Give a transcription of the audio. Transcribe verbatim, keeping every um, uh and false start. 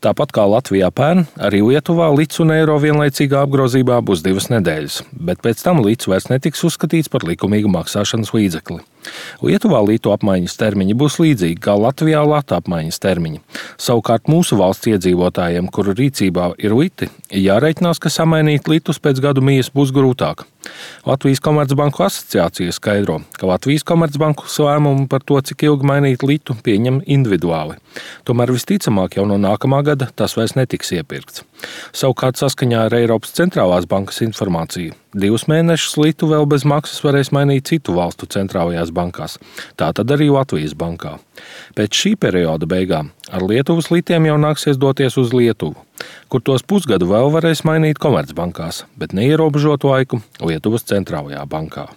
Tāpat kā Latvijā pērn, arī Lietuvā lits un eiro vienlaicīgā apgrozībā būs divas nedēļas, bet pēc tam lits vairs netiks uzskatīts par likumīgu maksāšanas līdzekli. Lietuvā litu apmaiņas termiņi būs līdzīgi kā Latvijā latu apmaiņas termiņi. Savukārt mūsu valsts iedzīvotājiem, kuru rīcībā ir liti, jāreikinās, ka samainīt litus pēc gadu mijas būs grūtāk. Latvijas Komercbanku asociācija skaidro, ka Latvijas Komercbanku lēmumu par to, cik ilgi mainīt litu, pieņem individuāli. Tomēr visticamāk jau no nākamā gada tas vairs netiks iepirkts. Savukārt saskaņā ar Eiropas centrālās bankas informāciju divus mēnešus litu vēl bez maksas varēs mainīt citu valstu centrālajās bankās, tātad arī Latvijas bankā. Pēc šī perioda beigām ar Lietuvas litiem jau nāksies doties uz Lietuvu, kur tos pusgadu vēl varēs mainīt Komercbankās, bet neierobežotu laiku Lietuvas centrālajā bankā.